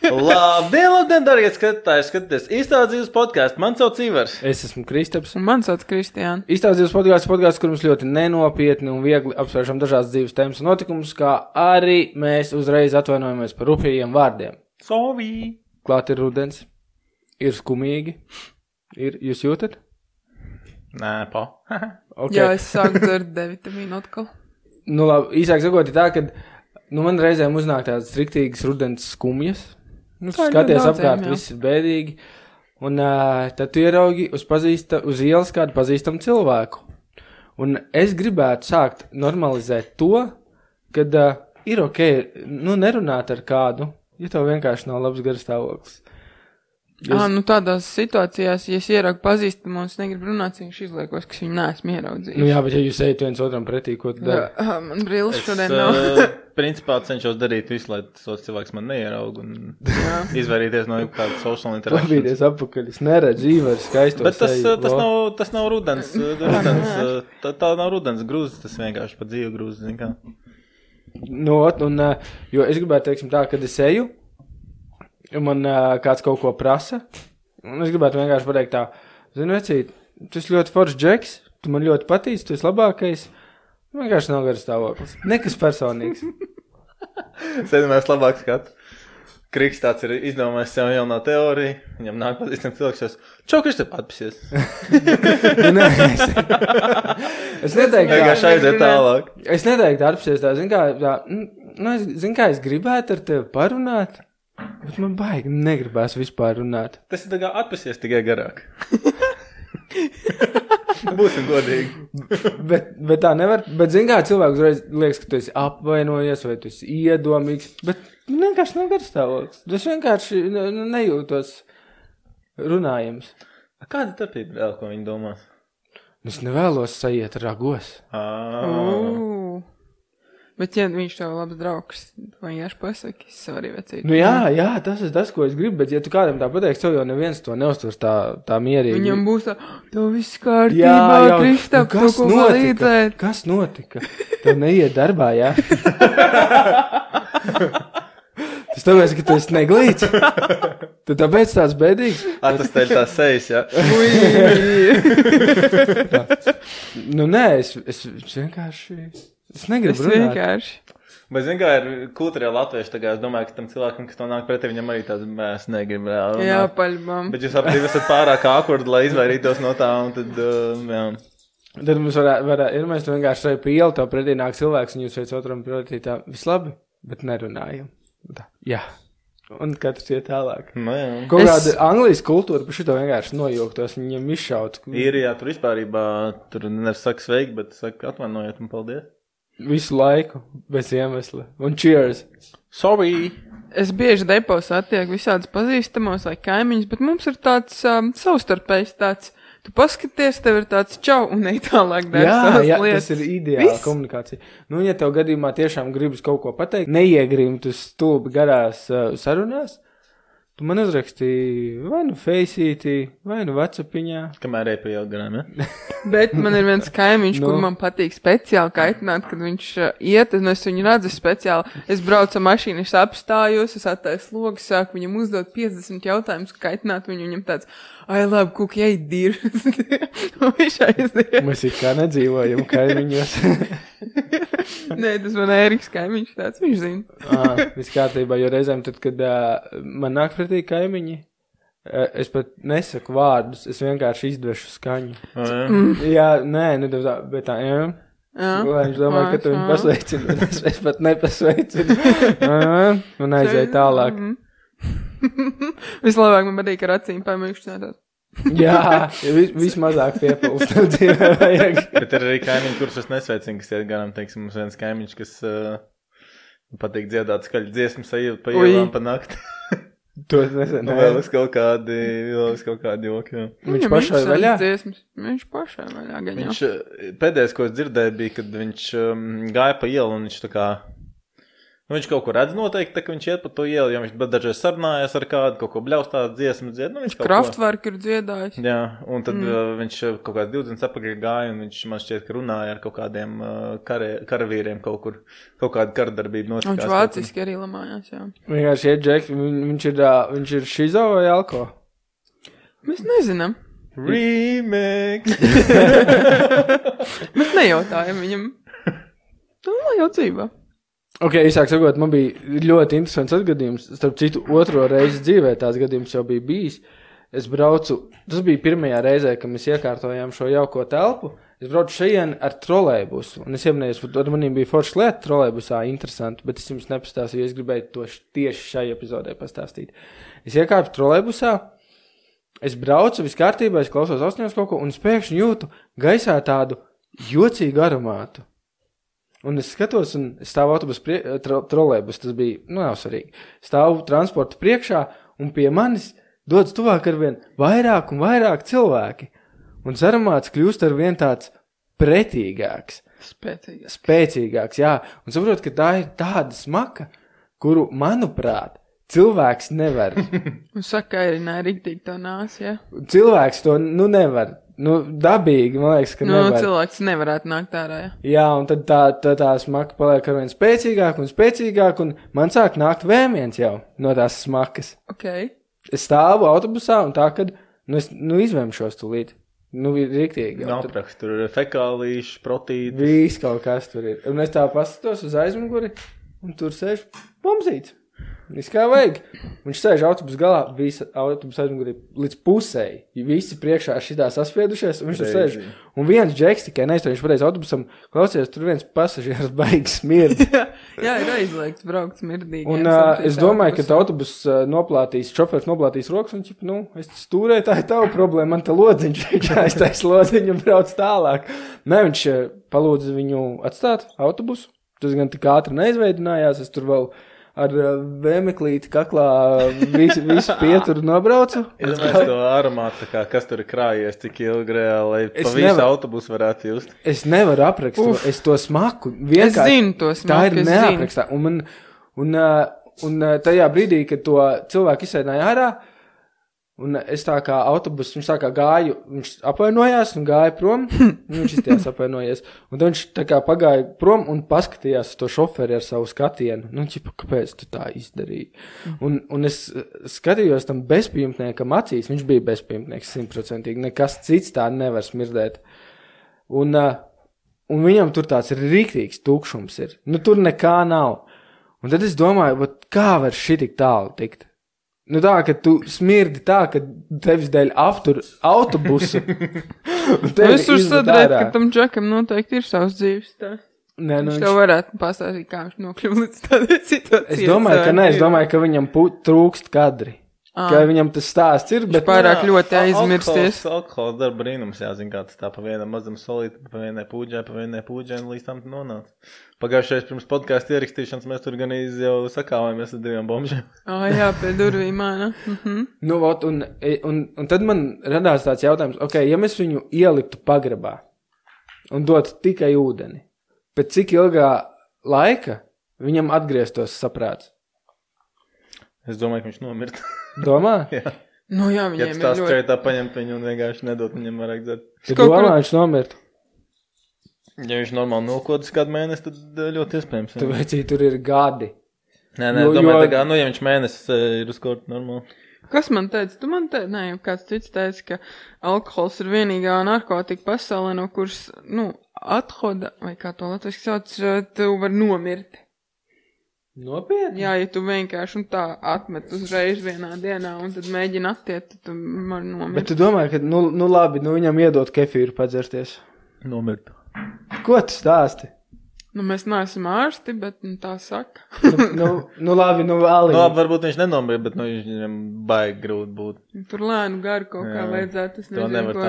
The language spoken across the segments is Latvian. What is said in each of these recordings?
Labdien, darbie skatītājs. Īstās dzīves podkāsts. Man sauc Ivars. Es esmu Kristaps. Un man sauc Kristiāna. Īstās dzīves podkāsts, kur mums ļoti nenopietni un viegli apsvēršam dažādas dzīves tēmas un notikumus, kā arī mēs uzreiz atvainojamies par rupjiem vārdiem. Sorry. Klāt ir rudens. Ir skumīgi. Jūs jūtat? Nē, pa. Okay. Jā, es sāku dzert D-vitamīnu atkal. Nu labi, īsāk sakot, ir tā, ka man reizēm uznāk tādas striktīgas rudens skumjas. Skaties apkārt, viss ir bēdīgi. Un tad tu ieraugi uz ielas kādu pazīstamu cilvēku. Un es gribētu sākt normalizēt to, kad ir ok, nerunāt ar kādu, ja tev vienkārši nav labs garstāvoklis. Tādās situācijās, ja es ieraugu pazīstamu un es negribu runāt, viņš izliekos, ka viņu neesmu ieraudzījis. Jā, bet ja jūs ejat viens otram pretī, ko tu dari? Man brīlis šodien nav. Principā cenšos darīt visu, lai tos cilvēks man neieraug un izvairīties no kādas social interakcijas. Pabīties apakaļ, es neredzu Ivars skaisto seju. Bet tas nav rudens. Tā nav rudens grūzes, tas vienkārši pa dzīvu grūzes, zin kā. Jo es gribētu, teiksim tā, kad es eju, man kāds kaut ko prasa, un es gribētu vienkārši pateikt tā, zinu, vecīt, tu esi ļoti foršs džeks, tu man ļoti patīc, tu esi labākais, vienkārši nav garas stāvoklis. Nekas personīgs. Sēdamēs labāk skatu. Kriks tāds ir izdomājis sev jaunā teorija, viņam nāk pazīstam cilvēks, čau, Kristap, atpasies. Es neteiktu tā. Vienkārši aiziet tālāk. Es neteiktu atpasies tā, zin kā es gribētu ar tevi parunāt, bet man baigi negribās vispār runāt. Tas ir tā kā atpasies tikai garāk. Būsim godīgi. Bet tā nevar, bet zin kā cilvēks uzreiz liekas, ka tu esi apvainojies vai tu esi iedomīgs, bet vienkārši nav garstāvoklis. Es vienkārši nejūtos runājams. Kāda tapība vēl, ko viņi domās? Es nevēlos sajiet ragos. Bet, ja viņš tev labs draugs, vai vienkārši pasaki, es arī vecīt. Jā, tas ir tas, ko es gribu, bet ja tu kādam tā pateiks, tev jau neviens to neuztvers tā mierīgi. Viņam būs tā, tev viss kārtībā, Kristap, tu ko palīdzēt. Kas notika? Tev neiet darbā, jā? Tas tāpēc, ka tu esi neglīts. Tu tāpēc tāds bēdīgs. Tas teļ tās sejas, jā? Nē, es vienkārši... Es negribu runāt. Vienkārši. Bet zin kā ir kultūrā latvieši, tā kā es domāju, ka tam cilvēkam, kas to nāk pretī, viņam arī tāds, mēs negribam reāli runāt. Jā, paļbam. Bet jūs aptīvi esat pārāk akurdi, lai izvairītos no tā, un tad, jā. Tad mums varētu, mēs tu vienkārši šai pa ielu, tev pretī nāk cilvēks, un jūs veic otram pretī tā, vislabi, bet nerunājam. Tā, jā. Un katrs iet tālāk. Jā. Kaut kāda Anglijas kultūra par šito vienkārši nojūgtos, viņam izšaut. Jā, tur vispārībā, tur nevis saka sveiki, bet saka atvainojiet un paldies. Visu laiku, bez iemesla. Un cheers. Sorry. Es bieži depos attieku visādus pazīstamos vai kaimiņus, bet mums ir tāds savstarpējs tāds, tu paskaties, tev ir tāds čau un ej tālāk dari savas lietas. Tas ir ideāla komunikācija. Ja tev gadījumā tiešām gribas kaut ko pateikt, neiegrimt uz stulbi garās sarunās, tu man uzrakstīji vai nu Faceītī, vai nu WhatsAppiņā. Kamēr ej pa ielu garām, ja? Bet man ir viens kaimiņš, kur man patīk speciāli kaitināt, kad viņš iet, un es viņu redzu speciāli. Es braucu ar mašīnu, es apstājos, es attaisu logus, sāku viņam uzdot 50 jautājumus, kaitināt viņu, viņam tāds, labi, kuk, ej, dir. Viņš aiziet. Mēs it kā nedzīvojam kaimiņos. Nē, tas man Ēriks kaimiņš tāds, viņš zina. Viss kārtībā, jo reizēm tad, kad man nāk pretī kaimiņi, es pat nesaku vārdus, es vienkārši izdvešu skaņu. Jā, nē, bet tā, jā. Lai viņš domā, ka tu viņu pasveicini, es pat nepasveicinu. Un aizēju tālāk. Vislabāk man patīk ar acīm pamīkšķināt. Jā, vismazāk piepilst dzīvē vajag. Bet ir arī kaimiņi, kurus es nesveicinu, kas iet garām, teiksim, mums viens kaimiņš, kas patīk dziedāt skaļu dziesmu sajūt pa ielām pa nakti. To es nesen. Vēl uz kaut kādi joki, jā. Viņš pašai vaļā? Viņš pašai vaļā gaņā. Pēdējais, ko es dzirdēju, bija, kad viņš gāja pa ielu un viņš tā kā Nu, viņš kaut ko redz noteikti, tā, ka viņš iet pa to ielu, jo viņš dažreiz sarunājas ar kādu, kaut ko bļaustās, dziesmu dzied. Nu, viņš Kraftwerk ir dziedājis. Jā, un tad viņš kaut kāds 20 apakaļ gāja, un viņš man šķiet, ka runāja ar kaut kādiem karavīriem kaut kur, kaut kāda karadarbība notikās. Viņš vāciski arī lamājās, jā. Vienkārši iet Džeki, viņš ir šizo vai alko? Mēs nezinām. Remix! Mēs nejautājam viņam. Nu, lai jau dzīvā. Ok, īsāk sakot, man bija ļoti interesants atgadījums. Starp citu, otro reizi dzīvē tās gadījums jau bija bijis. Es braucu, tas bija pirmajā reizē, kad mēs iekārtojām šo jauko telpu. Es braucu šajien ar trolejbusu. Un es ieminēju, ar maniem bija forša lieta trolejbusā, interesanti, bet es jums nepastāstīju, es gribēju to tieši šai epizodē pastāstīt. Es iekārtu trolejbusā, es braucu, viss kārtībā, es klausos ausņos kaut ko, un es pēkšņi jūtu gaisā tādu jocīgu aromātu. Un es skatos, un es stāvu autobus trolejbus, tas bija, nav svarīgi. Stāvu transporta priekšā, un pie manis dodas tuvāk arvien vairāk un vairāk cilvēki. Un aromāts kļūst arvien tāds pretīgāks. Spēcīgāks, jā. Un saprot, ka tā ir tāda smaka, kuru, manuprāt, cilvēks nevar. Un saka, arī riktīgi to nās, jā? Cilvēks to, nevar. Dabīgi, man liekas, ka nevar. Cilvēks nevarētu nākt ārā, jā. Jā, un tad tā smaka paliek arvien spēcīgāk, un man sāk nākt vēmiens jau no tās smakas. Ok. Es stāvu autobusā, un tā, kad, es izvēmšos tūlīt. Riktīgi. Napraks, tur ir fekālīši, protītis. Viss kaut kas tur ir. Un es tā paskatos uz aizmuguri, un tur sēž pomzīts. Viss kā vajag. Viņš sēž autobus galā, visa autobus aizmugurī līdz pusēji. Visi priekšā šitā saspiedušies, un viņš tur sēž. Un viens džeks tikai neiztur, viņš pateica autobusam, klausies, tur viens pasažieris baigs smirdi. Jā, ir aizliegts braukt smirdīgi. Un es domāju, ka autobus šofērs noplātīs rokas, un es stūrēju, tā ir tava problēma, man te lodziņš, viņš aiztais lodziņu un brauc tālāk. Nē, viņš palūdza viņu atstāt autobusu. Tas gan tik ātri neizveidinājās, es tur vēl ar vēmeklīti kaklā visu pieturu nobraucu. Es domāju, to aromātu, kas tur ir krājies, cik ilgi reāli, lai pa visu autobusu varētu just. Es nevaru aprakstīt, es to smaku. Es zinu to smaku, tā ir neaprakstā. Un tajā brīdī, kad to cilvēku izsēdināja ārā, un es tā kā autobus, viņš tā kā gāju, viņš apvainojās un gāja prom, viņš izties apvainojies. Un tad viņš tā kā pagāja prom un paskatījās to šoferi ar savu skatienu. Kāpēc tu tā izdarīji? Un es skatījos tam bezpajumtniekam acīs, viņš bija bezpajumtnieks 100%, nekas cits tā nevar smirdēt. Un viņam tur tāds rīktīgs tukšums ir. Tur nekā nav. Un tad es domāju, kā var šitik tālu tikt? Tā, ka tu smirdi tā, ka tevis dēļ aptur autobusu. Es uzsadrētu, ka tam džekam noteikti ir savs dzīves tā. Viņš tev varētu pastāstīt, kā viņš nokļuva līdz tādai situācijai. Es domāju, ka viņam trūkst kadri. Ka viņam tas stāsts ir, bet pārāk ļoti aizmirsties. Alkohols darba brīnums, jāzina, kā tas tā pa vienam mazam solīti, pa vienai pūģai, līdz tam nonāca. Pagājušais pirms podcastu ierakstīšanas mēs tur gan jau sakāvamies ar 2 bombžiem. Jā, pie durvīm, ne? Un tad man radās tāds jautājums, ja mēs viņu ieliktu pagrabā un dotu tikai ūdeni, pēc cik ilgā laika viņam atgrieztos saprāts? Es domāju, ka viņš nomirst. Domā? Jā. Jā, viņiem ir ļoti... Ja tu tā skaitā paņemt viņu un vienkārši nedot viņam vairāk dzert. Tu domā, viņš nomirt? Ja viņš normāli nolkodas kādu mēnesi, tad ļoti iespējams. Tu vecī, tur ir gadi. Nē, domāju, tā kā, ja viņš mēnesis ir uz kaut normāli. Kas man teica? Tu man teici, jau kāds cits teica, ka alkohols ir vienīgā narkotika pasaulē, no kuras, athoda, vai kā to latviski sauc, tu var nomirt. Nopietni? Jā, ja tu vienkārši tā atmet uzreiz vienā dienā un tad mēģina attiet, tad tu vari nomirt. Bet tu domāji, ka, labi, viņam iedot kefīru padzerties? Nomirt. Ko tu stāsti? Mēs neesam ārsti, bet tā saka. Labi, Labi, varbūt viņš nenomir, bet viņam baigi grūti būt. Tur lēnu garu kaut kā vajadzētu. Es nezinu, ko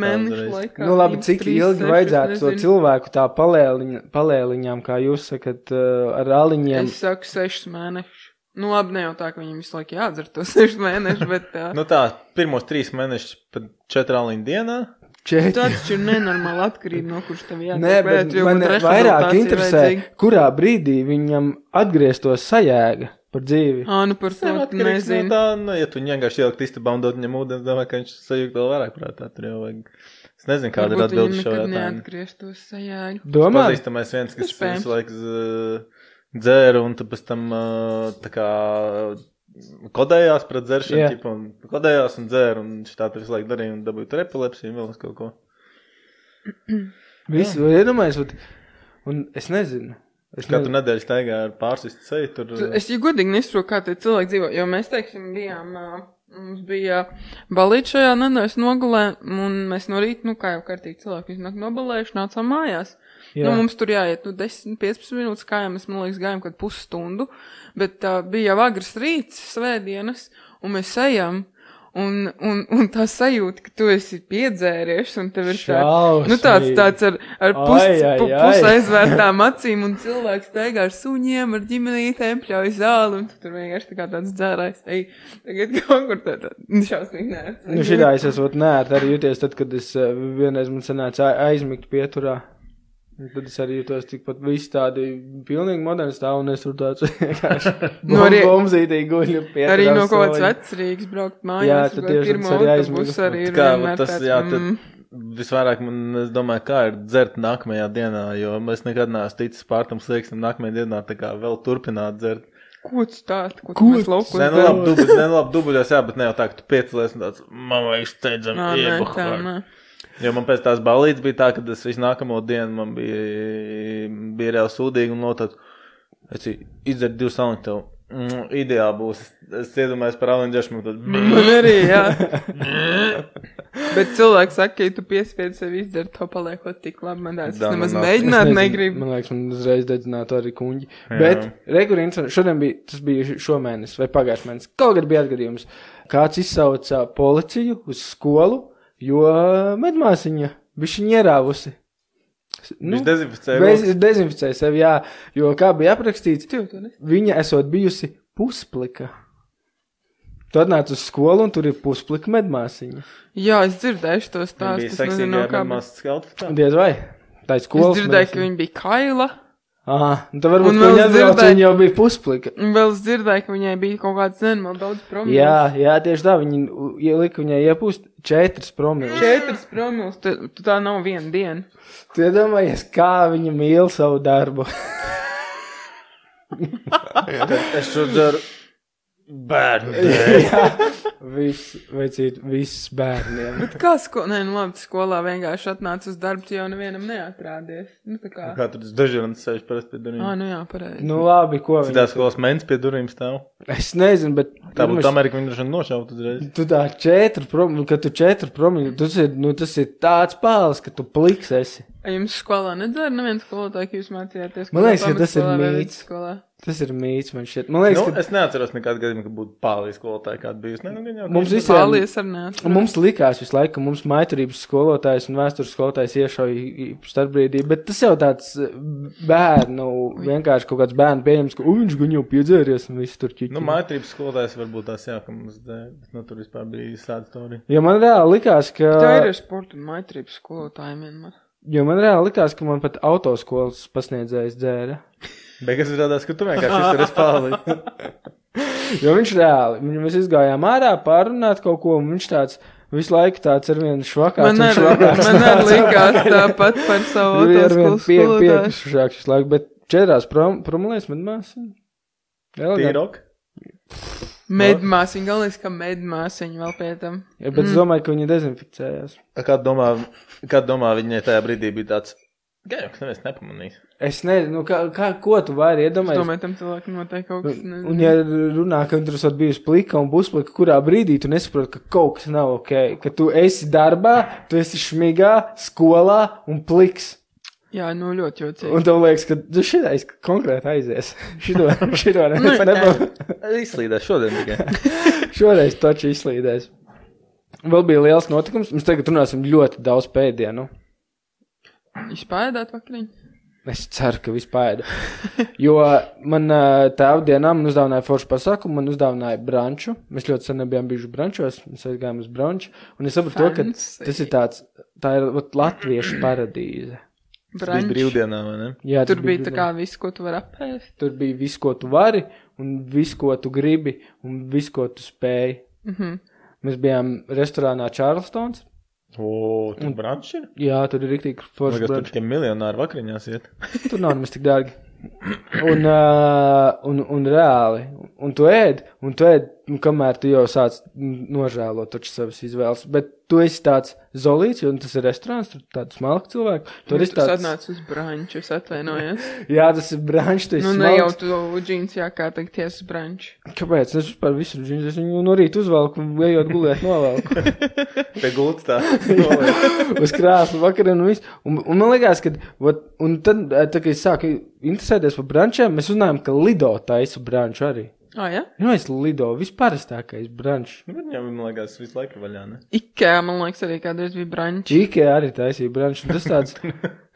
mēnešu laikā. Labi, cik ilgi vajadzētu to cilvēku tā palēliņām, kā jūs sakat, ar aliņiem? Es saku 6 mēnešus. Labi, ne jau tā, ka viņam visu laiku jādzer to 6 mēnešus, bet... tā, pirmos 3 mēnešus pat 4 aliņu dienā. 4. Tā taču ir nenormāli atkarība no kurš tev jātiek. Nē, bet man vairāk interesē, kurā brīdī viņam atgrieztos sajēga par dzīvi. Nu par to nezinu. No tā, ja tu vienkārši ielikt istabā un dod viņam ūdens, domāju, ka viņš sajūgt vēl vairāk prātā. Tur jau vajag. Es nezinu, kāda ir atbildi šo jautājumu. Varbūt viņam nekad neatgrieztos sajēga. Domā? Pazīstamais viens, kas visu laiku dzēra un tad pēc tam tā kā kodējās pret dzeršanu, ķipa, un kodējās un dzēra, un šitā tu visu laiku darīja un dabūja tur epilepsiju un vēl uz kaut ko. Visu, iedomājies, un es nezinu. Katru nedēļu staigā ar pārsistu seju tur. Es jau godīgi nesaprotu, kā tie cilvēki dzīvo, jo mēs, teiksim, mums bija balīt šajā nedēļas nogalē, un mēs no rīta, kā jau kārtīgi cilvēki iznāk nobalējuši, nācām mājās. Mums tur jāiet, 10-15 minūtes kājām, mēs, man liekas, gājām kādu pusstundu, bet bija jau agrs rīts, svētdienas, un mēs ejam, un tā sajūta, ka tu esi piedzēries, un tev ir tāds ar pus aizvērtām acīm, un cilvēks staigā ar suņiem, ar ģimenītēm, pļauj zāli, un tu tur vienkārši tā kā tāds dzērājs. Tagad kaut kur tā šausmīgi nērts. Šitā es esot nērt arī jūties tad, kad es vienreiz man sanāca aizmigt pieturā. Tad es arī jūtos tikpat visi tādi pilnīgi moderni stāv, un es tur tāds vienkārši bombzītīgi guļu pieturā. Arī no kaut kāds vecrīgs braukt mājās. Jā, tad tieši tas arī aizmigt. Arī ir vienmēr tāds. Visvairāk man, es domāju, kā ir dzert nākamajā dienā, jo es nekad neesmu ticis pārtam slieksnim nākamajā dienā tā kā vēl turpināt dzert. Ko tu stāst? Ko tu mēs laukos? Labi dubuļos, jā, bet ne jau tā, ka tu piecelies un tāds, man vajag steidzam iebuhār. Jo man pēc tās balītes bija tā, ka es visu nākamo dienu man bija reāli sūdīgi un notāds, es izdzert 2 salņu tev, ideāli būs, es iedomājos par alenģešmu, tad... Man arī, jā. Bet cilvēki saka, ka ja tu piespiedi sevi izdzert, to paliekot tik labi, man tāds, es nemaz mēģināt negribu. Man liekas, man uzreiz dedzinātu arī kuņģi. Bet, regulīns, šodien bija, tas bija šomēnes vai pagājuši mēnes, kaut kad bija atgadījums, kāds izsauca policiju uz skolu, jo medmāsiņa bišķiņ ierāvusi. Viņš dezinficēja sevi, jā, jo kā bija aprakstīts, viņa esot bijusi pusplika. Tu atnāc uz skolu un tur ir pusplika medmāsiņa. Jā, es dzirdēšu to stāstu. Viņa bija seksīgajā medmāsas outfitā? Diez vai? Tā ir skolas medmāsiņa. Es dzirdēju, ka viņa bija kaila. Tā varbūt, ka viņa jau bija pusplika. Un vēl es dzirdēju, ka viņai bija kaut kāds nenormāli daudz promils. Jā, tieši tā, viņi lika viņai iepūst 4 promils. 4 promils, tu tā nav viena diena. Tu iedomājies, kā viņa mīl savu darbu. Es to dzeru bērnu dēļ. Viss bērniem. Bet kā skolā vienkārši atnāca uz darbu, tu jau nevienam neatrādies. Kā tur dažādas sēž parasti pie durvīm? Jā, pareizi. Labi, ko viņi... Citās skolas mens pie durvīm stāv? Es nezinu, bet... Tā būtu Amerika, viņi droši nošautu uzreiz. Tu tā 4 promili, kad tu 4 promili, tas ir tāds pāles, ka tu pliks esi. Jums skolā nedzēra neviens skolotāji, ka jūs mācījāties? Man liekas, ka tas ir mīts. Tas ir mīts, man šķiet. Man liekas, Es neatceros nekādu gadījumu, ka būtu pālijas skolotāji kādu bijusi. Mums likās visu laiku, ka mums maiturības skolotājs un vēstures skolotājs iešauja starpbrīdī, bet tas jau tāds bērnu, vienkārši kaut kāds bērnu pieņems, ka viņš gan jau piedzēries un viss tur ķiķi. Maiturības skolotājs varbūt tās jā, ka mums tur vispār bija sāda storija. Jo man reāli likās, ka... Tā ir sporta un maiturības skolotājiem vienmēr. Jo man reāli likās, ka man pat autoskolas pasniedzējs dzēra. Beigās izrādās, ka tu vienkārši izturies pāli. Jo viņš reāli, mēs izgājām ārā pārunāt kaut ko, un viņš tāds visu laiku tāds ar vienu švakāts. Man arī likās tāpat par savu autoskolas skolotāju. Piekušāks visu laiku, bet 4 promilēs medmāsiņa. Tīrok? Medmāsiņa, galvenais, ka medmāsiņa vēl pie tam. Ja, bet es domāju, ka viņi dezinficējās. Kā domā viņai tajā brīdī bija tāds, gan jau neviens nepamanīs. Es nezinu, ko tu vari iedomājies? Es domāju, tam cilvēkam noteikti kaut kas nezinu. Un ja runā, ka tur esot bijusi plika un pusplika, kurā brīdī tu nesaproti, ka kaut kas nav ok, ka tu esi darbā, tu esi šmigā, skolā un pliks. Jā, ļoti jocīgi. Un tev liekas, ka tu šitais konkrēti aizies. Šito izslīdēs šodien tikai. Šoreiz taču izslīdēs. Vēl bija liels notikums. Mēs tagad runāsim ļoti daudz pēdienu. Jūs pēdāt vakariņu? Es ceru, ka viss paēda. Jo man tēvdienā man uzdāvināja foršu pasākumu, man uzdāvināja branču. Mēs ļoti sen nebijām bijuši brančos, mēs aizgājām uz branču. Un es sapratu to, ka tas ir tā ir latviešu paradīze. Tas bija brīvdienā, vai ne? Jā, tur bija tā kā viss, ko tu vari apēst. Tur bija viss, ko tu vari, un viss, ko tu gribi, un viss, ko tu spēji. Mēs bijām restorānā Charlestons. Tur brančs ir? Jā, tur ir riktīgi forši brančs. Tur tikai miljonāri vakariņās iet. Tur nav nemaz tik dārgi. Un reāli. Un tu ēd, kamēr tu jau sāc nožēlot taču savas izvēles. Bet tu esi tāds zolīts, jo tas ir restorāns, tur tāds smalki cilvēki. Tu atnāc uz branču, es atvainojos. Jā, tas ir brančs, tu esi smalks. Ne jau tu džīns jākārtakties uz branču. Kāpēc? Es vispār visu džīns, es viņu no rīta uzvalku, ejot gulēt novalku. Pie gultas tā. Uz krāslu vakariem un viss. Un man liekas, ka, un tad, kad es sāku interesēties par brančiem, mēs uzzinājām, ka Lido taisa branču arī. Ja? Es Lido, visparastākais brančs. Viņam, man liekas, visu laiku vaļā, ne? Ikea, man liekas, arī kādreiz bija brančs. Ikea arī taisīja branču, un tas tāds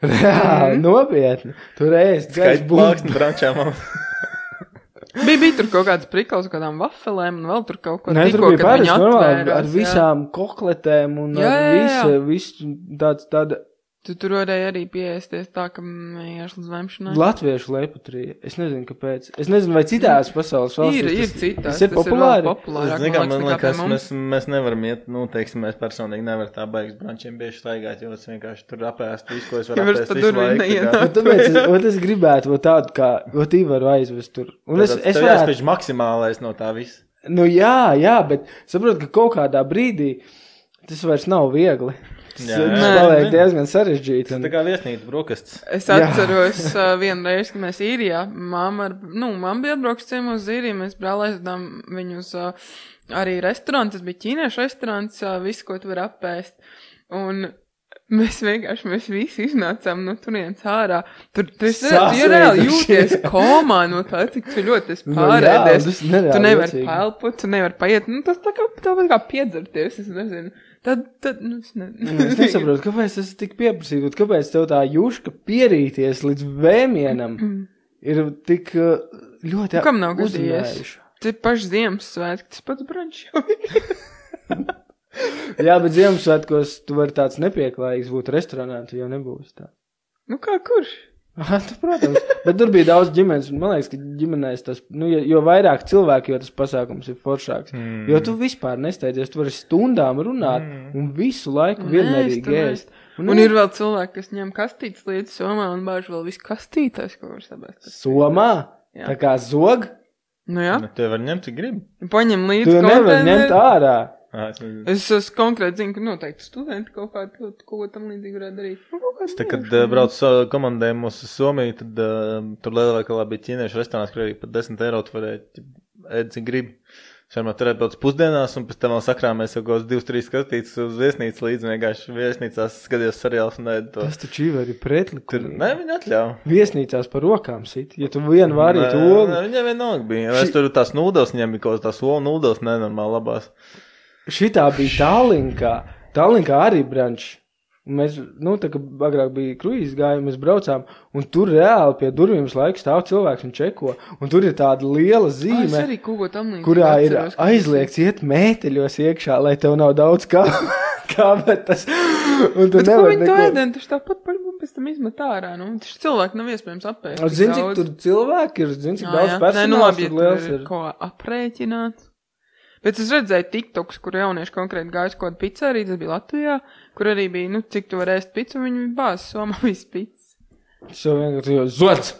reāli nopietni. Tur ēst, gaiš plāksni brančā, man. Bija tur kaut kāds prikals, kādām vafelēm, un vēl tur kaut ko tikko, tur bija pāris normāli, ar visām kokletēm, un ar visu tāda. Tu tur varēji arī pieēsties tā, ka ejāš līdz vemšanai. Latviešu leipatrija. Es nezinu, kāpēc. Es nezinu, vai citās pasaules valstīs. Ir citās. Tas ir populāri. Man liekas, mēs nevaram iet, teiksim, mēs personīgi nevar tā baigas brančiem bieži staigāt, jo es vienkārši tur apēst visu, ko es varu apēst visu laiku. Tāpēc es gribētu tādu, kā, varu aizvest tur. Un es varētu pēc maksimālais no tā viss. Nu jā, bet saprot, ka kaut kādā brīdī tas vairs nav viegli. Tas paliek diezgan sarežģīti. Tas tā kā viesnīca brokastis. Es atceros vienu reizi, kad mēs īrijā, mamma bija atbrauks ciemos uz īriju, mēs brāl aizvedām viņu uz arī restorānu, tas bija ķīniešu restorāns, visu, ko tu var apēst. Un mēs visi iznācām no turienes ārā. Tu reāli jūties komā no tā, cik tu ļoti esi pārēdies. Tu nevari pelpot, tu nevari paiet. Tas tāpat kā piedzerties, es nezinu. Tad es nesaprotu, kāpēc tas tik pieprasīt, kāpēc tev tā juška pierīties līdz vēmienam ir tik ļoti kam nav gadījies? Te paši Ziemassvētki, tas pats brančs jau ir. Jā, bet Ziemassvētkos tu vari tāds nepieklājīgs būt restorānā, tu jau nebūsi tā. Nu kā kurš? Protams, bet tur bija daudz ģimenes, man liekas, ka ģimenēs tas, jo vairāk cilvēki, jo tas pasākums ir foršāks, jo tu vispār nesteidzies, tu vari stundām runāt un visu laiku vienmērīgi ēst. Un ir vēl cilvēki, kas ņem kastītes līdz somā un bāž vēl visu kastītājs, ko var sabēst. Somā? Jā. Tā kā zog? Nu jā. Te var ņemt, cik grib. Paņem līdz konteineru. Tu nevar ņemt ārā. Es konkrēti zinu, ka noteikti studenti kaut ko tam līdzīgi varētu darīt. Tā, kad brauc komandējumos uz Somiju, tad tur lielveikalā bija ķīniešu restorāns, kur arī pat 10 eiro tu varēja ēd, cik gribi. Šarmā tur atbrauc pusdienās, un pēc tam vēl sakrāmēs jau kaut 2-3 skatītas uz viesnīcu līdzi, vienkārši viesnīcās skaties seriāls un ēd to. Tas taču ir arī pretlikumi. Nē, viņi atļauj. Viesnīcās par rokām sit, ja tu vienu vārītu olu. Viņam vienalga bija. Es tur tās nūdels ņem, kaut tās olu nūdels nenormāli labās. Šitā bija Tallinkā arī brančs. Mēs, tā kā agrāk bija kruīzes gājumi, mēs braucām, un tur reāli pie durvīm laiku stāv cilvēks un čeko, un tur ir tāda liela zīme, kurā ir aizliegts iet mēteļos iekšā, lai tev nav daudz kābetas. Un tu nevar neko. Bet ko viņi to ēdien, taču tāpat pēc tam izmet ārā, taču cilvēki nav iespējams apēst. Zini, cik tur cilvēki ir, cik daudz personāls tur liels ir. Ko aprēķināt. Bet es redzēju TikToks, kur jaunieši konkrēti gājuši kaut kādu pizzeriju, tas bija Latvijā, kur arī bija, cik tu var ēst pizzu, viņi bāz somā visu pizzu. So vienkārši jau zodz!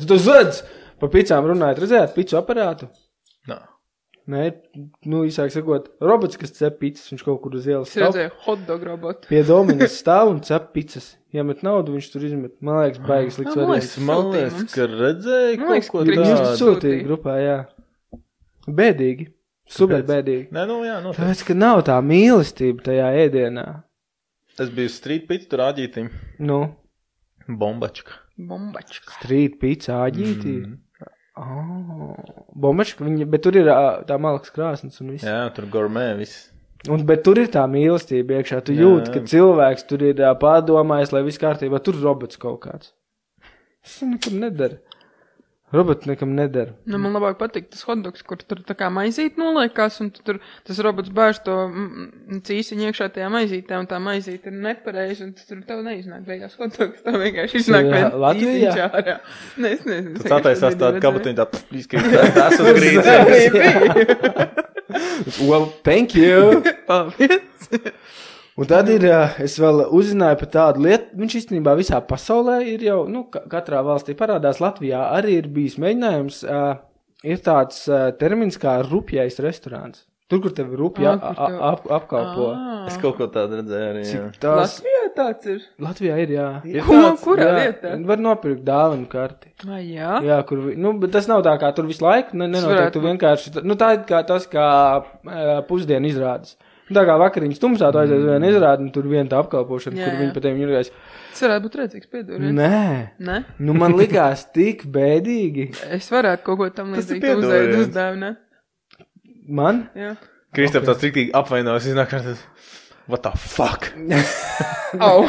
Tu zodz! Pa pizzām runājot, redzējāt pizzu aparātu? Nē, īsāk sakot, robots, kas cep pizzas, viņš kaut kur uz ielas stāv. Es redzēju hotdog robotu. Pie Dominas stāv un cep pizzas. Iemet naudu, viņš tur izmet. Man liekas, baigas liks variants. Man liekas, ka redzēju kaut ko tādu. Viņš sūtīja grupā, jā. Bēdīgi. Super bēdīgi. Nē, jā, noteikti. Tāpēc, ka nav tā mīlestība tajā ēdienā. Es biju street pizza, tur āģītim. Bombačka. Street pizza āģītī? Bombačka, bet tur ir tā malaks krāsnes un viss. Jā, tur gourmet viss. Bet tur ir tā mīlestība iekšā. Tu jūti, ka cilvēks tur ir pārdomājis, lai viss kārtībā. Tur robots kaut kāds. Tas nekam nedara. Roboti nekam nedara. Nu, man labāk patīk tas hotdogs, kur tur tā kā maizīt noliekās, un tur tas robots bāž to cīsiņu iekšā tajā maizītē, un tā maizīte ir nepareizi, un tur tev neiznāk beigās hotdogs, tev vienkārši iznāk viens cīsiņš ārā. Es nezinu. Tu sataisās tādu kabatiņu tā, tas uz grīdas. Well, thank you. Paldies. Un tad ir, es vēl uzzināju par tādu lietu, viņš īstenībā visā pasaulē ir jau, katrā valstī parādās, Latvijā arī ir bijis mēģinājums, ir tāds termins kā rupjais restorāns. Tur, kur tev rupja apkalpo. Es kaut ko tādu redzēju arī, jā. Latvijā tāds ir? Latvijā ir, jā. Kurā vietā? Var nopirkt dāvanu karti. Jā? Jā, kur, bet tas nav tā kā tur visu laiku, nenotiek, tu vienkārši, tā ir kā tas, kā pusdienu izrādes. Tā kā vakariņas tumsā, tu aizies vienu izrādi, un tur viena tā apkalpošana, kur viņi pa tevi ņurgais. Tas varētu būt redzīgs pieduriens. Nē. Nu, man likās tik bēdīgi. Es varētu kaut ko tam līdzīgi uzdāvināt, ne? Man? Jā. Kristap tāds riktīgi apvainojas, iznāk tas, what the fuck? Au.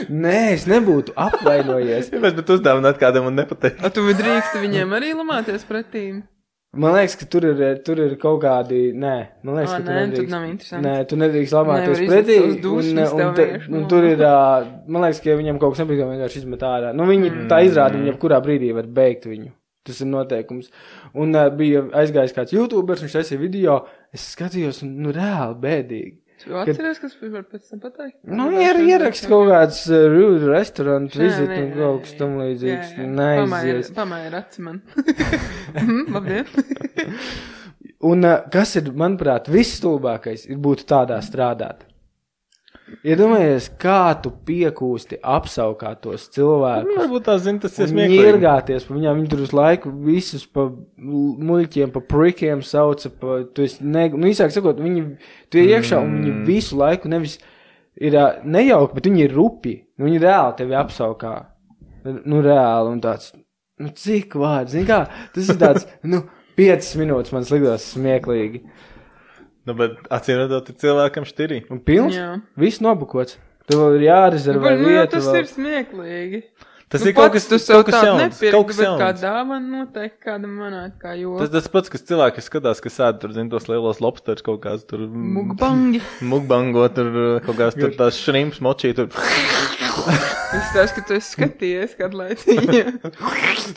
Nē, es nebūtu apvainojies. Ja mēs bet uzdāvināt kādam un nepateikt. A tu drīksti viņiem arī lamāties pretīm? Man liekas, ka tur ir kaut kādi, nē, man liekas, ka tu nedrīkst. Tur nav interesanti. Nē, tu nedrīkst lamāties pretī, un tur ir, man liekas, ka viņam kaut kas nepatīk, vienkārši izmet ārā. Nu, viņi tā izrāda, viņi kurā brīdī var beigt viņu. Tas ir noteikums. Un bija aizgājis kāds YouTubers, viņš taisīja video, es skatījos, un, reāli bēdīgi. Tu atceries, kas var pēc tam pateikt? Nu, ierakst kaut kāds rude restaurant visit un kaut kas tam līdzīgs. Neaizies. Pamēr aci man. Labdien. Un kas ir, manuprāt, viss stulbākais ir būt tādā strādāt. Iedomājies, kā tu piekūsti apsaukāt tos cilvēkus. Varbūt tā zina, tas ir smieklīgi. Viņi iergāties pa viņām, viņi tur uz laiku visus pa muļķiem, pa prikiem sauca, īsāk sakot, tu ir iekšā un viņi visu laiku nevis ir nejauki, bet viņi ir rupi. Viņi reāli tevi apsaukā. Reāli un tāds, cik vārds, zini kā, tas ir tāds, 5 minūtes man sliktos smieklīgi. Bet acīm redzot, ir cilvēkam štirī. Un pilns? Jā. Viss nobukots. Tev vēl ir jārezervē vieta. Tas ir smieklīgi. Tas ir kaut kas jauns. Kaut kas jauns. Kā dāvana noteikti kādam manāt, kā jo. Tas pats, kas cilvēki skatās, kas sēd tur, zin, tos lielos lobsters kaut kāds tur. Mukbango, tur kaut kāds tur tās šrimps močī tur. Es tās, ka tu esi skatījies kādu laiciņu.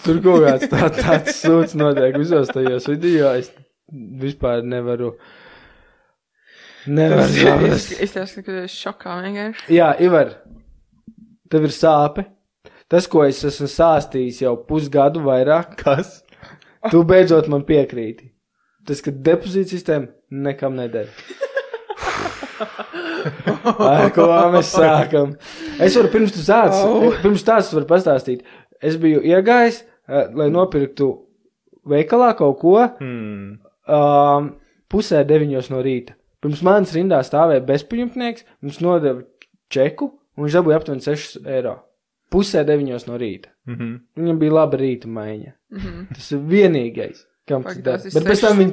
Tur kaut kāds tāds sūds notiek visos tajos video. Es vispār nevaru saprast. Es tev saku, ka tu esi šokā vienkārši. Jā, Ivar, tev ir sāpe. Tas, ko es esmu sāstījis jau pusgadu vairāk. Kas? Tu beidzot man piekrīti. Tas, ka depozīta sistēma nekam nedara. Ko mēs sākam? Es varu pirms tās varu pastāstīt. Es biju iegājis, lai nopirktu veikalā kaut ko 8:30 no rīta. Pirms manas rindā stāvēja bezpajumtnieks, mums nodeva čeku, un viņš dabūja aptuveni 6 eiro. 8:30 no rīta. Viņam bija laba rīta maiņa. Tas ir vienīgais, kam tas dara. Bet pēc tam viņi...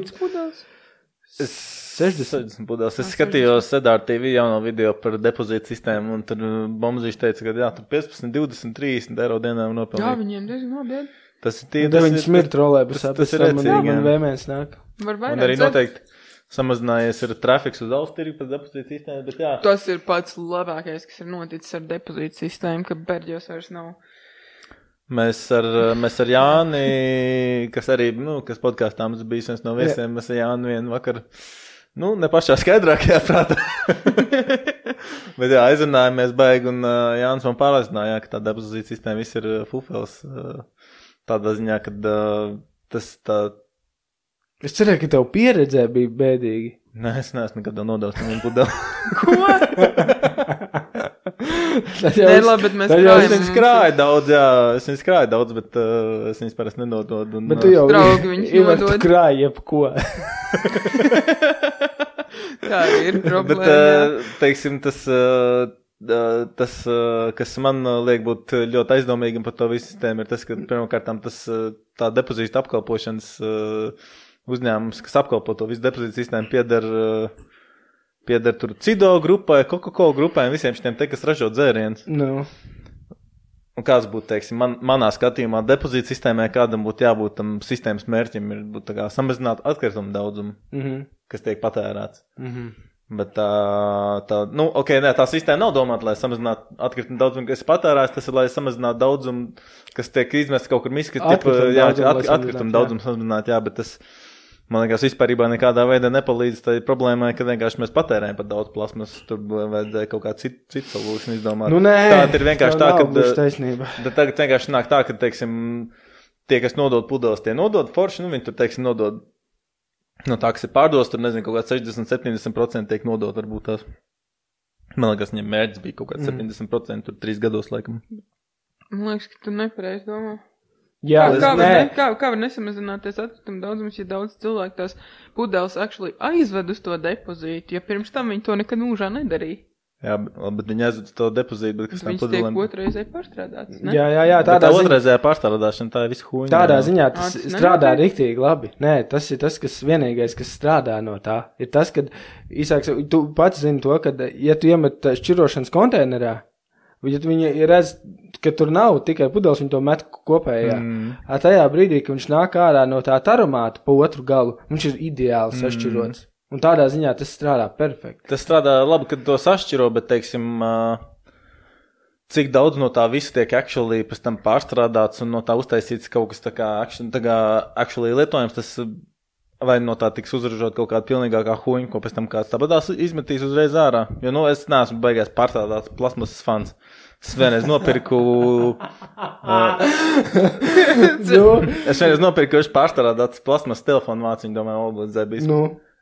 60 pudeles. Es skatījos Sedāra TV jauno video par depozītu sistēmu, un tur Bomzīši teica, ka jā, tur 15, 20, 30 eiro dienām nopelnīt. Jā, viņiem diezgan labi. Tas ir tie... Viņi smirt rolēbusā, tas ir redzīgi, man vēmēs nāk. Un arī noteikti samazinājies ir trafiks uz Austriju pēc depozītu sistēmas, bet jā. Tas ir pats labākais, kas ir noticis ar depozītu sistēmu, ka Berģos vairs nav. Mēs ar Jāni, kas arī, kas podkāstā mums bijis viens no viesiem, mēs ar Jāni vienu vakar, ne pašā skaidrākajā prātā. Bet jā, aizrunājāmies baigi, un Jānis man pārliecināja, ka tā depozītu sistēma viss ir fufels. Tādā ziņā, ka tas tā... Es cerēju, ka tev pieredzē bija bēdīgi. Nē, es neesmu nekad nodevis tam vienu pudeli. Ko? Nē, labi, bet mēs krājam. Es viņus krāju daudz, bet es viņus parasti nenododu. Bet tu jau draugi viņus nodod. Tu krāji jebko. Tā ir problēma. Bet, teiksim, tas, kas man liek būt ļoti aizdomīgam par to visu sistēmu, ir tas, ka pirmkārtām tā depozīta apkalpošanas uzņēmums, kas apkalpo to visu depozītu sistēmu, pieder tur Cido grupai, Coca-Cola grupai un visiem šitiem te, kas ražo dzērienus. No. Un kāds būtu, teiksim, manā skatījumā depozīta sistēmai, kādam būtu jābūt tam sistēmas mērķim, ir būt tā kā samazināt atkritumu daudzumu, kas tiek patērēts. Bet tā sistēma nav domāta, lai samazinātu atkritumu daudzumu, kas ir patērēts, tas ir, lai samazinātu daudzumu, kas tiek izmests kaut kur miskas, atkritumu daudzumu samazināt, jā, bet tas, man liekas, vispārībā nekādā veidā nepalīdz tai problēmai, ka vienkārši mēs patērējam par daudz plasmas, tur vajadzēja kaut kā citu solūšanu izdomāt. Nu, nē, tā ir vienkārši tā, ka tagad vienkārši nāk tā, ka, teiksim, tie, kas nodod pudeles, tie nodod forši, viņi tur, teiksim, nodod, tā, kas ir pārdos, tur, nezinu, kaut kā 60-70% tiek nodot, varbūt tās. Man liekas, viņiem mērķis bija kaut kā 70%, tur 3 gados, laikam. Man liekas, ka tu nepareizi domā. Jā, kā var nesamazināties atkritumu daudzums, ja daudz cilvēku tās pudeles aizved uz to depozītu, ja pirms tam viņi to nekad mūžā nedarīja? Jā, bet viņi aizved uz to depozītu, bet kas tam pudelēm... Viņas tiek otrreizēji pārstrādātas, ne? Jā, tādā ziņā... Otrreizējā pārstrādāšana, tā ir visu huņa. Tādā ziņā tas strādā riktīgi labi. Nē, tas ir tas, kas vienīgais, kas strādā no tā. Ir tas, kad, īsāks, tu pats zini to, ka, ja tu iemet šķirošanas konteinerā, ja viņi redz, ka tur nav tikai pudeles, viņi to met kopējā. Tajā brīdī, kad viņš nāk ārā no tā taromāta pa otru galu, viņš ir ideāli sašķirots. Un tādā ziņā tas strādā perfekti. Tas strādā labi, kad to sašķiro, bet, teiksim, cik daudz no tā visa tiek actually pēc tam pārstrādāts un no tā uztaisīts kaut kas tā kā actually lietojams, tas vai no tā tiks uzražot kaut kāda pilnīgākā huņa, ko pēc tam kāds tāpatās izmetīs uzreiz ārā. Jo, es neesmu beigās pārstrādāts plasmasas fans. Es vienreiz nopirku... Es vienreiz nopirku pārstrādāts plasmasas telefonu vāciņu, domāju, obligāti bijis.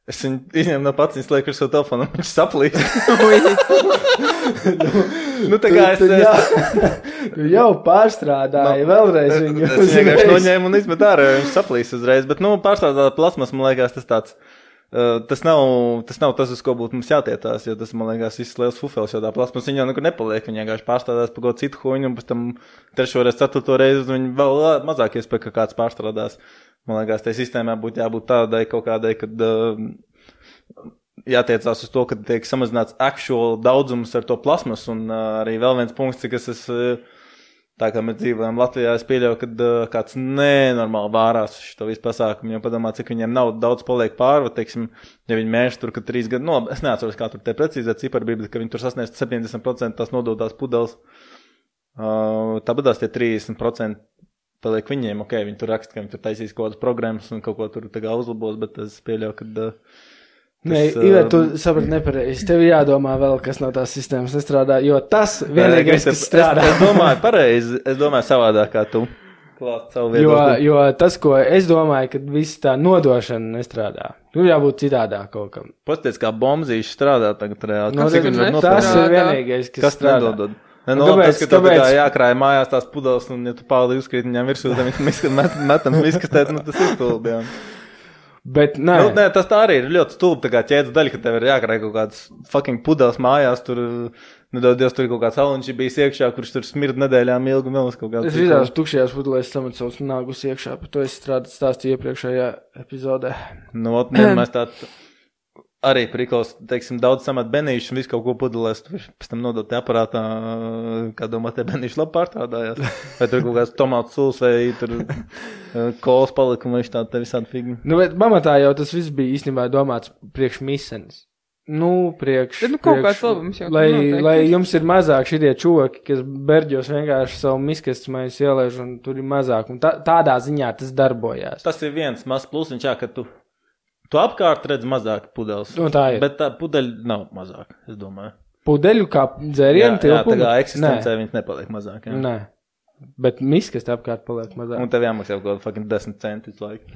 Es viņu izņēmu no pats, viņas lieku ar savu telefonu, un viņš saplīst. Tā kā Tu jau pārstrādāji vēlreiz viņu. Es vienkārši noņēmu un izmet ārā, viņš saplīst uzreiz. Bet, pārstrādāt plasmas, man liekas, tas tāds... Tas nav tas, uz ko būtu mums jātietās, jo tas, man liekas, viss liels fufels, jo tā plasmas viņa jau nekur nepaliek. Viņa vienkārši pārstrādās par kaut citu huņu, un pēc tam 3. reizi, 4. reizi, viņa vēl mazāk iespēja, ka kāds pārstrādās. Man liekas, tai sistēmā būtu jābūt tādai kaut kādai, kad jātiecās uz to, ka tiek samazināts actual daudzums ar to plasmas, un arī vēl viens punkts, kas tā kā mēs dzīvojam Latvijā, es pieļauju, kad kāds nenormāli vārās šo visu pasākumu, jo padomā, cik viņiem nav daudz paliek pārva, teiksim, ja viņi mēž tur, ka 3 gadu, es neatceros, kā tur te precīzē cipari bija, bet ka viņi tur sasniedz 70% tās nodotās pudeles, tāpatās tie 30% paliek viņiem, viņi tur raksta, ka viņi tur taisīs kaut kādas programmas un kaut ko tur tagad uzlabos, bet es pieļauju, ka... Nē, Iver, tu saprati nepareizi. Tev jādomā vēl, kas no tās sistēmas nestrādā, jo tas vienīgais, kas strādā. Es domāju pareizi, es domāju savādāk kā tu. Klāst savu viedokli. Jo tas, ko es domāju, ka visi tā nodošana nestrādā. Tur jābūt citādāk kaut kam. Pasties, kā bombzīši strādā tagad reāli. Tas ir vienīgais, kas strādā. Nedodod? Tas, ka tev tā jākrāja mājās tās pudeles, un ja tu pārli uzkrīt viņām virsū, tad viņi metam miskastēt, tas ir stulbi, jā. Bet, nē. Tas tā arī ir ļoti stulbi, tā kā ķēdes daļa, ka tev ir jākrāja kaut kādas fucking pudeles mājās, tur, nedodies, tur ir kaut kāds alunči bijis iekšā, kurš tur smird nedēļām ilgu vēl uz kaut kādu. Es visās tukšajās pudelēs samat savus nāgus iekšā, par to es stāstīju iepriekšējā epizodē. Mēs tā... Arī prikals, teiksim, daudz samat benīšu un visu kaut ko pudelēs, tu pēc tam nodot te aparātā, kā domā, te benīši labi pārstrādājās. Vai tur kaut kāds tomātu suls vai tur kolas palika un viņš tā te visādi figni. Bet pamatā jau tas viss bija īstenībā domāts priekš misenes. Kaut kāds labums jau. Lai jums ir mazāk šitie čoki, kas berģos vienkārši savu miskastes maisu ielēž un tur ir mazāk. Un tādā ziņā tas darbojās. Tas ir viens mazs plusiņš, ka tu apkārt redz mazāk pudeles, tā ir. Bet tā pudeļa nav mazāk, es domāju. Pudeļu kā dzērienu tilpumu? Jā, tā kā eksistencē viņas nepaliek mazāk. Jā. Nē, bet miskast apkārt paliek mazāk. Un tev jāmaksā kaut kādu fucking 10 centus laiku.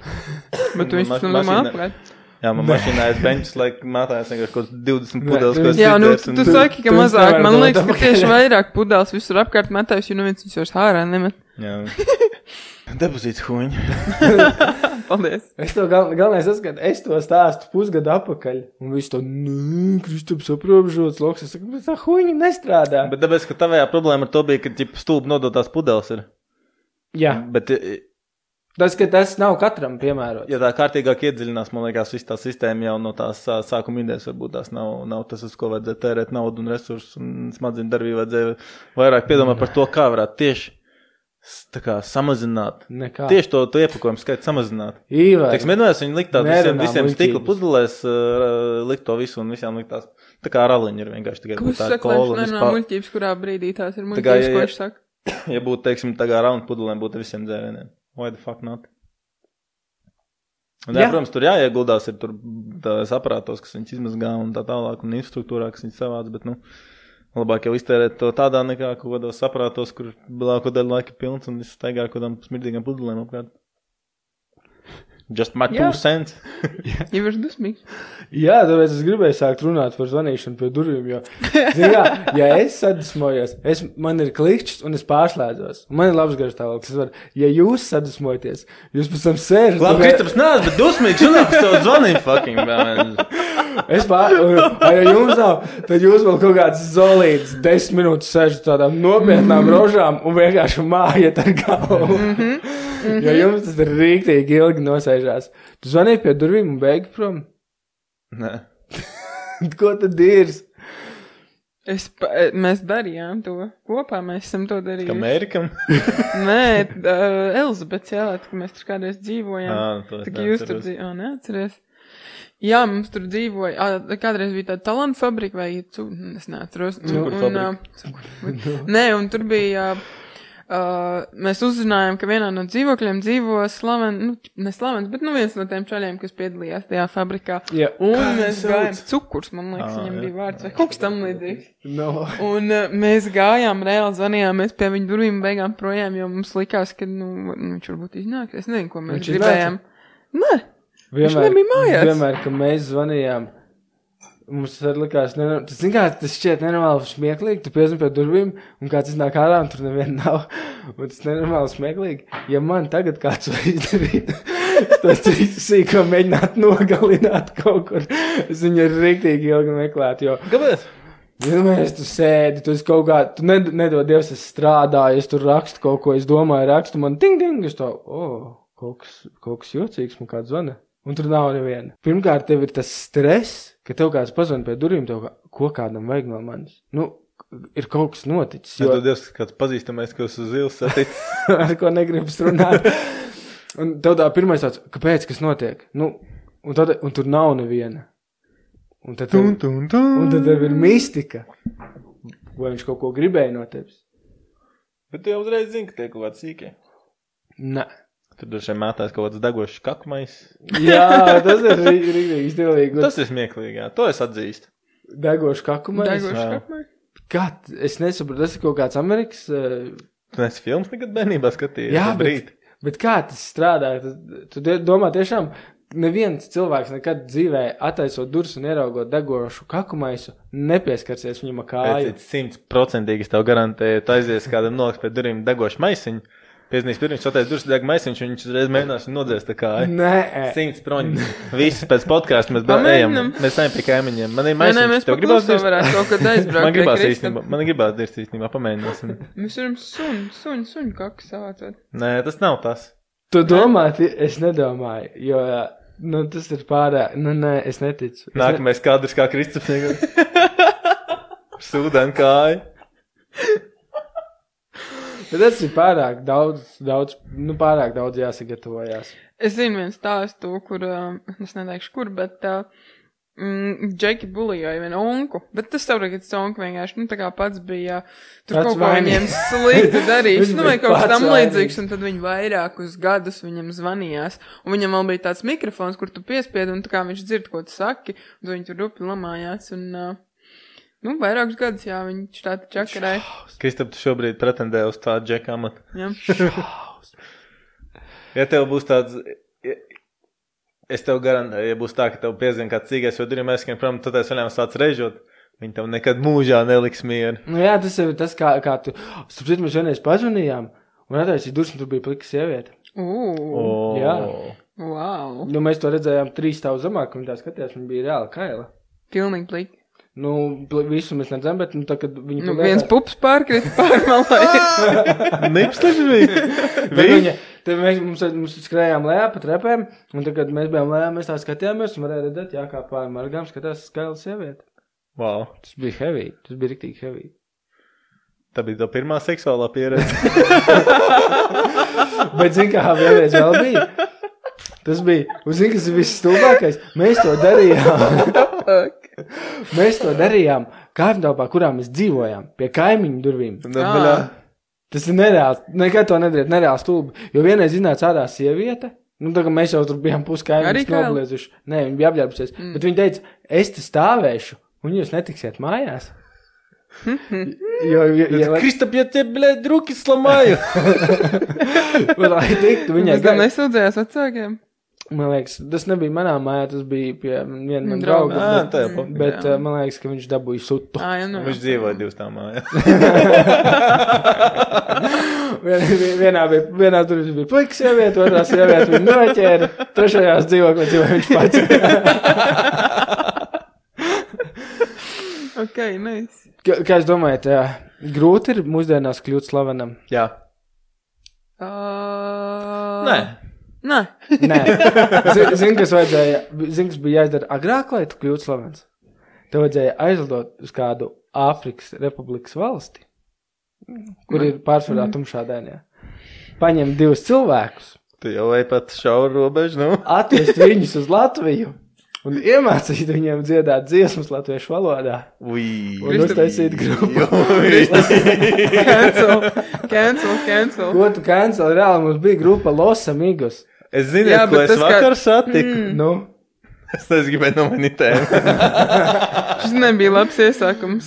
Bet tu viņš apkārt. Jā, man mašīnā ir benčs, mātājās vienkārši kaut 20 pudeles. Jā, tu saki, ka mazāk. Man liekas, ka tieši vairāk pudeles visur apkārt metājus, jo viens viņus ārā nemet. Jā. Depozīts huņi. Paldies. Es to galvenais saskatu, es to stāstu pusgadu apakaļ. Un visu to, Kristaps aprobežots loks. Es saku, bet tā huņi nestrādā. Bet tāpēc, ka tavējā problēma ar to bija, ka stulbi nodotās pudeles ir. Jā. Bet Tas nav katram piemērots. Ja tā kārtīgāk iedziļinās, man liekas, viss tā sistēma jau no tās sākuma idejas varbūt tās nav tas, uz ko vajadzēja tērēt naudu un resursus un smadzeņu darbību vajadzēja vairāk piedomāt par to, kā varētu tieši tā kā samazināt. Nekā. Tieši to iepakojumu skaitu samazināt. Teiksim, vienmēr viņi likt tādu visiem stikla pudelēs, likt to visu un visiem likt tās. Tā kā raliņi ir vienkārši tikai tā kola. Ko saka, muļķības, kurā brīdī tās ir muļķības, ko viņš saka? Ja būtu, teiksim, tā kā raunu pudelēm būtu visiem dzērieniem. Why the fuck not? Un, protams, tur jāieguldās ir tur tās aparātos, kas viņus izmazgā un tā tālāk, un infrastruktūrā, kas viņus savāc, bet, labāk jau iztērēt to tādā nekā kaut kādos aparātos, kur lielāko daļu laika pilns un es staigāju kaut kādām smirdīgām pudelēm apkārt. Just my 2 cents. Jau ir dusmīgs. Jā, tāpēc es gribēju sākt runāt par zvanīšanu pie durvīm, jo, ja es sadusmojos, man ir klikšķis un es pārslēdzos. Man ir labs garastāvoklis. Ja jūs sadusmojaties, jūs pēc tam sēžat. Labi, Kristaps nāc, bet dusmīgs runāt par savu zvanību fucking, man. Ja jums nav, tad jūs vēl kaut kāds zolīts 10 minūtes sēžat tādām nopietnām rožām un vienkārši mājat ar galvu. Jo jums tas ir rīktīgi ilgi nosēžās. Tu zvanīji pie durvīm un beigi prom? Nē. Ko tad ir? Mēs darījām to. Kopā mēs esam to darījuši. Kā Mērikam? Nē, Elizabets jālēt, ka mēs tur kādreiz dzīvojām. Tā kā jūs tur dzīvojām. Neatceries? Jā, mums tur dzīvoja. Kādreiz bija tāda talantu fabrika vai es neatceros. Nē, un tur bija... mēs uzzinājām, ka vienā no dzīvokļiem dzīvo ne slavens, bet viens no tiem čaļiem, kas piedalījās tajā fabrikā. Yeah. Un mēs gājām cukurs, man liekas, viņam bija vārds vai kaut kas tam līdzīgs. No. Un mēs gājām, reāli zvanījāmies pie viņa durvīm beigām projām, jo mums likās, ka viņš varbūt iznāks. Es nezinu, ko mēs gribējām. Nē, viņš nebija mājās. Vienmēr, ka mēs zvanījām, mums arī likās, tas šķiet nenormāli smieklīgi, tu piezvani pie durvīm, un kāds iznāk ārā, un tur neviena nav, un tas nenormāli smieklīgi. Ja man tagad kāds var izdarīt, tas sīko mēģināt nogalināt kaut kur, es viņu ir riktīgi ilgi meklēt, jo... Kāpēc? Ja mēs tu sēdi, tu esi kaut kā, tu nedod Dievs, es strādāju, es tur rakstu kaut ko, es domāju, rakstu, man ting, es to, kaut kas jocīgs, man kāds zvana. Un tur nav neviena. Pirmkārt, tev ir tas stress, ka tev kāds pazvan pie durvīm, ko kādam vajag no manis. Ir kaut kas noticis. Jo... Ja tu Dievs, kāds pazīstamais, ka uz ils saticis. Ar ko negribas runāt. Un tev tā pirmais tāds, kāpēc, kas notiek? Un tur nav neviena. Un tad tev ir mistika. Vai viņš kaut ko gribēja no tevis? Bet tu jau uzreiz zini, ka tie kaut kāds sīkie. Nē. Tur dažiem mētās kaut kāds degošs kakmais. Jā, tas ir rīktīgi stilīgi. Tas ir smieklīgi, jā. To es atzīstu. Degošs kakmais? Degošs kakmais? Kā? Es nesaprotu, tas ir kaut kāds Amerikas... Tu neesi filmas nekad bērnībā skatījies? Jā, bet kā tas strādā? Tu domā tiešām, neviens cilvēks nekad dzīvē attaisot durvis un ieraugot degošu kakmaisu, nepieskarsies viņam ar kāju. 100% es tev garantēju, tu aizies kādam noliks pie durvīm degošu maisiņu. Pieznīs pirms, attais durvis deg maisiņš, viņš uzreiz mēģinās un nodzēs tā kā. Nē. 100 proņi. Visi pēc podkāstu mēs ejam. Mēs ejam pie kaimiņiem. Man ir maisiņš. Tev gribās dirst? Man gribās dirst īstenībā, pamēģināsim. Mēs varam suņu kaku savācot. Nē, tas nav tas. Tu domā, es nedomāju, jo, tas ir pārāk, nē, es neticu. Nākamais kadrs kā Kristaps. Sūdēn kāju. Bet tas ir pārāk daudz jāsagatavojās. Es zinu viens stāstu, kur, es neteikšu kur, bet Džeki bulijoja vienu onku, bet tas saprot, ka tas onku vienkārši, tā kā pats bija, tur kaut ko viņiem slikti darījis, vai kaut kas tam līdzīgs, un tad viņi vairākus gadus viņam zvanījās, un viņam vēl bija tāds mikrofons, kur tu piespiedi, un tā kā viņš dzird, ko tu saki, un viņi tur rupi lamājās, un... vairākus gadus, jā, viņš tāda čakarēja. Kristap, tu šobrīd pretendē uz tādu džeka amatu. Jā. Ja tev būs tāds, es tev garantēju, ja būs tā, ka tev piezina kāds cīgais, jo duriem aizskan prom, tad es vaļām sāc režot, viņi tev nekad mūžā neliks mieru. Jā, tas ir tas, kā tu, starp mēs vienreiz pazvanījām, un attaisīja durvis, un tur bija plika sieviete. Jā. Wow. Mēs to redzējām 3 stāvu zemāk, un tā skatījās, viņa bija reāli kaila. Pilnīgi plika. Visu mēs nedzem, bet tā, kad viņa... viens pups pārkrita pārmalai. Nips taču bija. Tad mums skrējām lejā pa trepēm, un tad, kad mēs bijām lejā, mēs tā skatījāmies, un varēja redzēt, jā, kā pāri margām skatās skaila sieviete. Wow. Tas bija heavy, tas bija riktīgi heavy. Tā bija tā pirmā seksuālā pieredze. Bet, zin kā, vienreiz vēl bija. Tas bija, un zin, kas ir viss stulbākais, mēs to darījām kaimiņtelpā, kurā mēs dzīvojām, pie kaimiņu durvīm. Tas ir nereāls, nekad to nedariet, nereāls stulbi, jo vienreiz iznāca ārā sieviete, tā kā mēs jau tur bijām puskaimiņus nobliezuši. Nē, viņa bija apģērbusies, bet viņa teica, es te stāvēšu, un jūs netiksiet mājās. Kristap, ja te, blēd, ruki slamāju. Lai tiktu viņai. Tas nesūdzējās vecākiem? Man liekas, tas nebija manā mājā, tas bija pie viena man drauga. Bet man liekas, ka viņš dabūja sutu. Viņš dzīvoja divas tā mājā. Vienā tur bija puikas sieviete, otrā sieviete viņa noķēra, trešajās dzīvoja viņš pats. Ok, nice. Kā es domāju, grūti ir mūsdienās kļūt slavenam? Jā. Nē. Zini, kas bija jāizdara agrāk, lai tu kļūtu slavens? Tev vajadzēja aizlidot uz kādu Āfrikas republikas valsti, kur ir pārsvarā tumšādēnie. Paņem 2 cilvēkus. Tu jau vai pat šauru robežu, nu? Atvest viņus uz Latviju un iemācīt viņiem dziedāt dziesmas latviešu valodā. Un uztaisīt grupu. Cancel. Ko tu cancel? Reāli mums bija grupa Los Amigos. Es zinu, ko es vakar satiku. Nu? Es gribēju nomainīt tēmu. Šis nebija labs iesākums.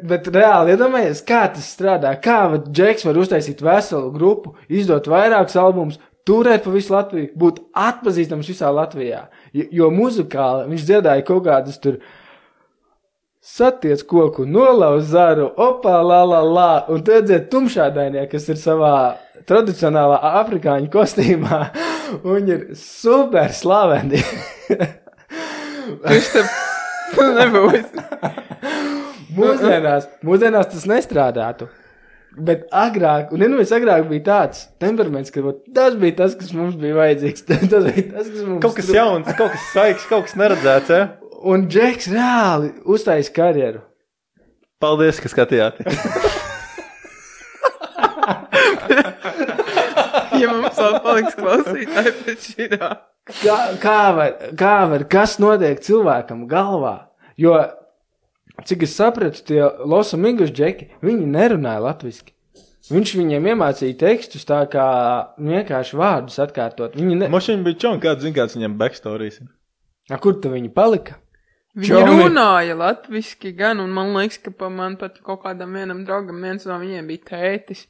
Bet reāli, iedomājies, kā tas strādā. Kā Džeks var uztaisīt veselu grupu, izdot vairākus albumus, turēt pa visu Latviju, būt atpazīstams visā Latvijā. Jo muzikāli viņš dziedāja kaut kādus tur satiec koku, nolauz zaru, opā, la, un tu dzied tumšādainie, kas ir savā tradicionālā afrikāņu kostīmā, un viņi ir super slaveni. Viņš te nebūs. Mūsdienās tas nestrādātu. Bet agrāk, un agrāk bija tāds temperaments, ka tas bija tas, kas mums bija vajadzīgs. Tas bija tas, kas mums... Kaut kas jauns, kaut kas saiks, kaut kas neredzēts, ja? Un Džeks reāli uztais karjeru. Paldies, ka skatījāties. Ja mums vēl paliks klausītāji pēc šitā. Kas notiek cilvēkam galvā? Jo... Cik es sapratu, tie Los Amigos džeki, viņi nerunāja latviski. Viņš viņiem iemācīja tekstus tā kā vienkārši vārdus atkārtot. Mošiņi bija čon, kāds viņam backstories. Kur tu viņi palika? Viņi runāja latviski gan, un man liekas, ka man pat kaut kādam vienam draugam viens no viņiem bija tētis.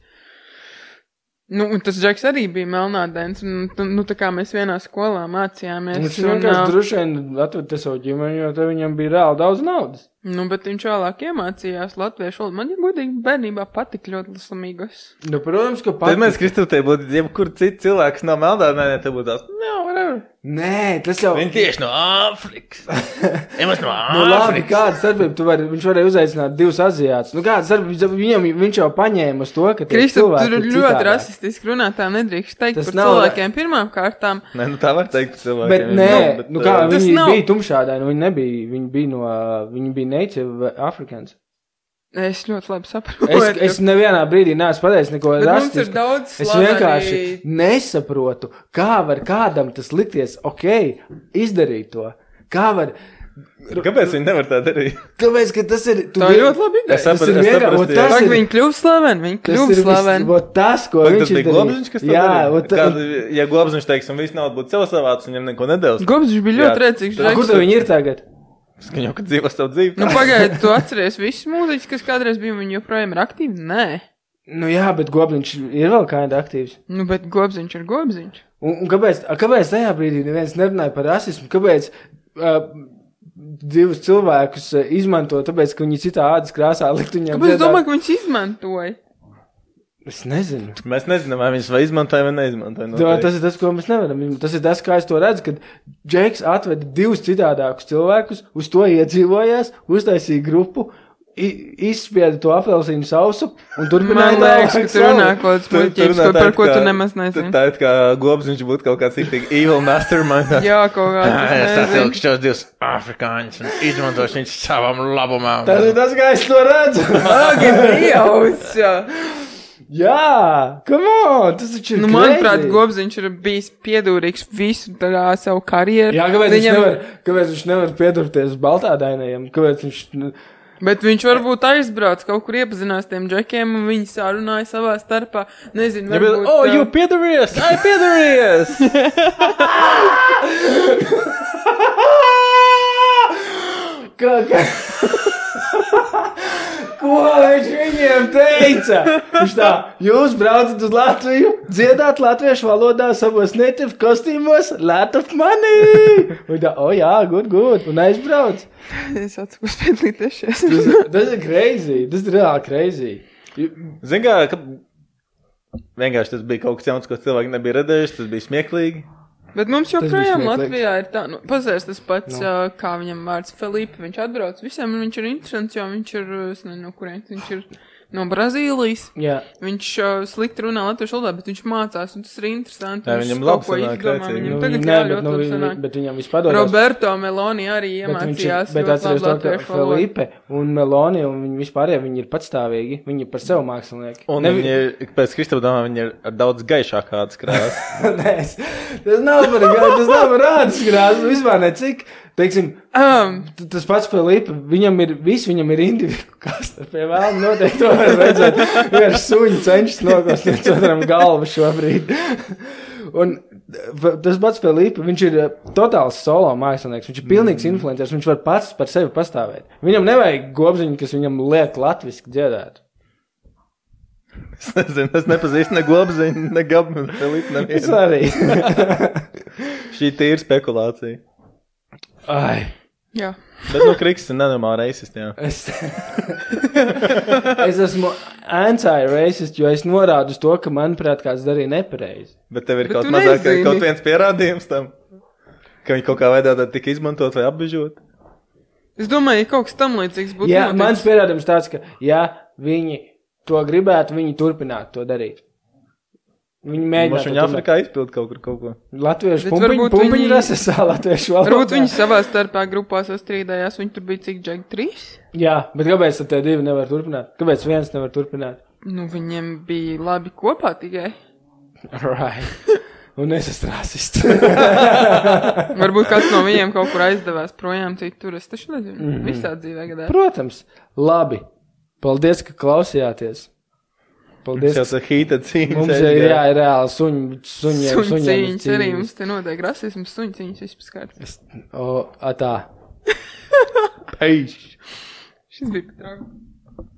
Un tas Džeks arī bija melnādens, un tā kā mēs vienā skolā mācījāmies. Viņš vienkārši droši vien atveda savu ģimeni, jo te viņam bija reāli daudz naudas. Bet viņš vēlāk iemācījās latviešu valodu. Man, ja godīgi, bērnībā patika ļoti Los Amigos. Protams, ka patika. Tad mēs, Kristu, te būtu jebkur cits cilvēks nav melnādēnē, te būtu tās, whatever. Nē, tas jau... Viņi tieši no Āfrikas. Emas no Āfrikas. Labi, kāda starpība, viņš varēja uzaicināt 2 aziātus. Kāda starpība, viņš jau paņēma uz to, ka tie cilvēki ir citādā. Ļoti rasistiski runātā nedrīkst teikt tas par cilvēkiem pirmām kārtām. Nē, tā var teikt par cilvēkiem. Bet nē, viņi bija tumšādāji, viņi bija native Africans. Es ļoti labi saprotu. Es nevienā brīdī neesmu pateicis neko rastisku. Mums ir daudz slaveni. Es vienkārši nesaprotu, kā var kādam tas likties izdarīt to. Kāpēc viņi nevar tā darīt? Kāpēc, ka tas ir... Tā ir ļoti labi ideja. Es saprastu. Viņi kļuv slaveni, Tas, ko viņš izdarīja. Tas bija Globziņš, kas tā darīja? Ja Globziņš, teiksim, viss naudu būtu sev savāds, viņam neko nedēļas. Globziņš bija ļoti rēcīgs. Kur tev viņi ir tagad? Skaņo, kad dzīvo savu dzīvi. Pagaidi, tu atceries visus mūziķus, kas kādreiz bija, viņi joprojām ir aktīvi? Nē. Jā, bet Globziņš ir vēl kāda aktīvs. Bet Globziņš ir Globziņš. Un kāpēc tajā brīdī neviens nerunāja par rasismu? Kāpēc 2 cilvēkus izmanto, tāpēc, ka viņi citā ādas krāsā likt viņam Kāpēc domāju, ka viņš izmantoja? Es nezinu. Mēs nezinām, vai viņš vai izmantoja vai neizmantoja. Tas ir tas, ko mēs nevaram. Tas ir tas, kā es to redzu, kad Džeks atveda 2 citādākus cilvēkus, uz to iedzīvojās, uztaisīja grupu izspieda to apelsīnu sausu un turpināja Man liekas, ka tu runā kaut kāds muļķības, par ko tu nemaz nezini. Tā ir kā Gobziņš būtu kaut kāds tik evil mastermind. Jā, kaut kāds. Es satilku šos divus afrikāņus un izmantošu viņus savam labumam. Tas ir tas, kā es to redzu. Agi, Dievs! Jā, come on, tas taču ir manuprāt, Gobziņš ir bijis piedūrīgs visu tādā savu karjeru. Jā, kāpēc viņš nevar piedurties baltādainajam? Kāpēc viņš... Bet viņš varbūt aizbrauc, kaut kur iepazinās tiem džekiem, un viņi sārunāja savā starpā. Nezinu, varbūt... Oh, you piedarījies! I piedarījies! Ko viņš viņiem teica? Viņš tā, jūs braucat uz Latviju, dziedāt latviešu valodā savos native kostīmos, lot of money! Un tā, jā, good, un aizbrauc. Es atceros piedalīties šies. Tas ir crazy, tas ir reāli crazy. Zin kā, ka vienkārši tas bija kaut kas jauns, ko cilvēki nebija redzējuši, tas bija smieklīgi. Bet mums joprojām Latvijā ir tā, pazērs tas pats, kā viņam vārds Felipe, viņš atbrauc visiem, un viņš ir interesants, jo viņš ir, es nezinu, no kurienes, viņš ir no Brazīlijas. Jā. Viņš slikti runā latviešu valodā, bet viņš mācās, un tas ir interesanti. Jā, viņam labi sanāk, Viņam tagad ļoti labi sanāk. Bet viņam vispadodās. Roberto Meloni arī iemācījās ļoti labi latviešu valodu. Felipe un Meloni, un viņi vispārējie, viņi ir patstāvīgi, viņi ir par sev mākslinieki. Un viņi ir, pēc Kristapa domā, viņi ir ar daudz gaišāk kādas krāsas. Tas nav par rādas krāsas, vispār necik. Teiksim, tas pats Felipe, viņam ir individu kasta, pie vēlam noteikti to var redzēt, vienkārši suņi cenšas nokost viens otram galvu šobrīd. Un tas pats Felipe, viņš ir totāls solo mākslinieks, viņš ir pilnīgs influencers, viņš var pats par sevi pastāvēt. Viņam nevajag Gobziņu, kas viņam liek latviski dziedāt. Es nezinu, es nepazīstu ne Gobziņu, ne Gabu, ne Felipe, nevienu. Es arī. Šī tīra spekulācija. Ai. Jā. Bet Kriks ir nenormāli racist, jā. Es esmu anti-racist, jo es norādu uz to, ka, manuprāt, kāds darīja nepareizi. Bet tev ir kaut mazāk, kaut viens pierādījums tam, ka viņi kaut kā veidā tika izmantot vai apbežot? Es domāju, ja kaut kas tam līdzīgs būtu. Jā, mans pierādījums tāds, ka, ja viņi to gribētu, viņi turpinātu to darīt. Viņi mēģinātu. Viņi Afrikā izpild kaut ko. Latviešu pumpiņu rasesā, latviešu valodā. Varbūt viņi savā starpā grupās sastrīdējās, viņi tur bija cik džegi 3? Jā, bet kāpēc tad tie divi nevar turpināt? Kāpēc viens nevar turpināt? Nu, viņiem bija labi kopā tikai. Right. Un es esmu rasists. Varbūt kāds no viņiem kaut kur aizdevās projām citur, es taču nezinu. Visā dzīvē gadē. Protams. Labi. Paldies, ka klausījāties. Paldies. Mums jau tā hīta cīņas. Mums ir reāli suņiem. Suņcīņas arī, mums te notiek rasisms, suņcīņas vispār skārts. Tā. Peiš. Šis bija pat trauks.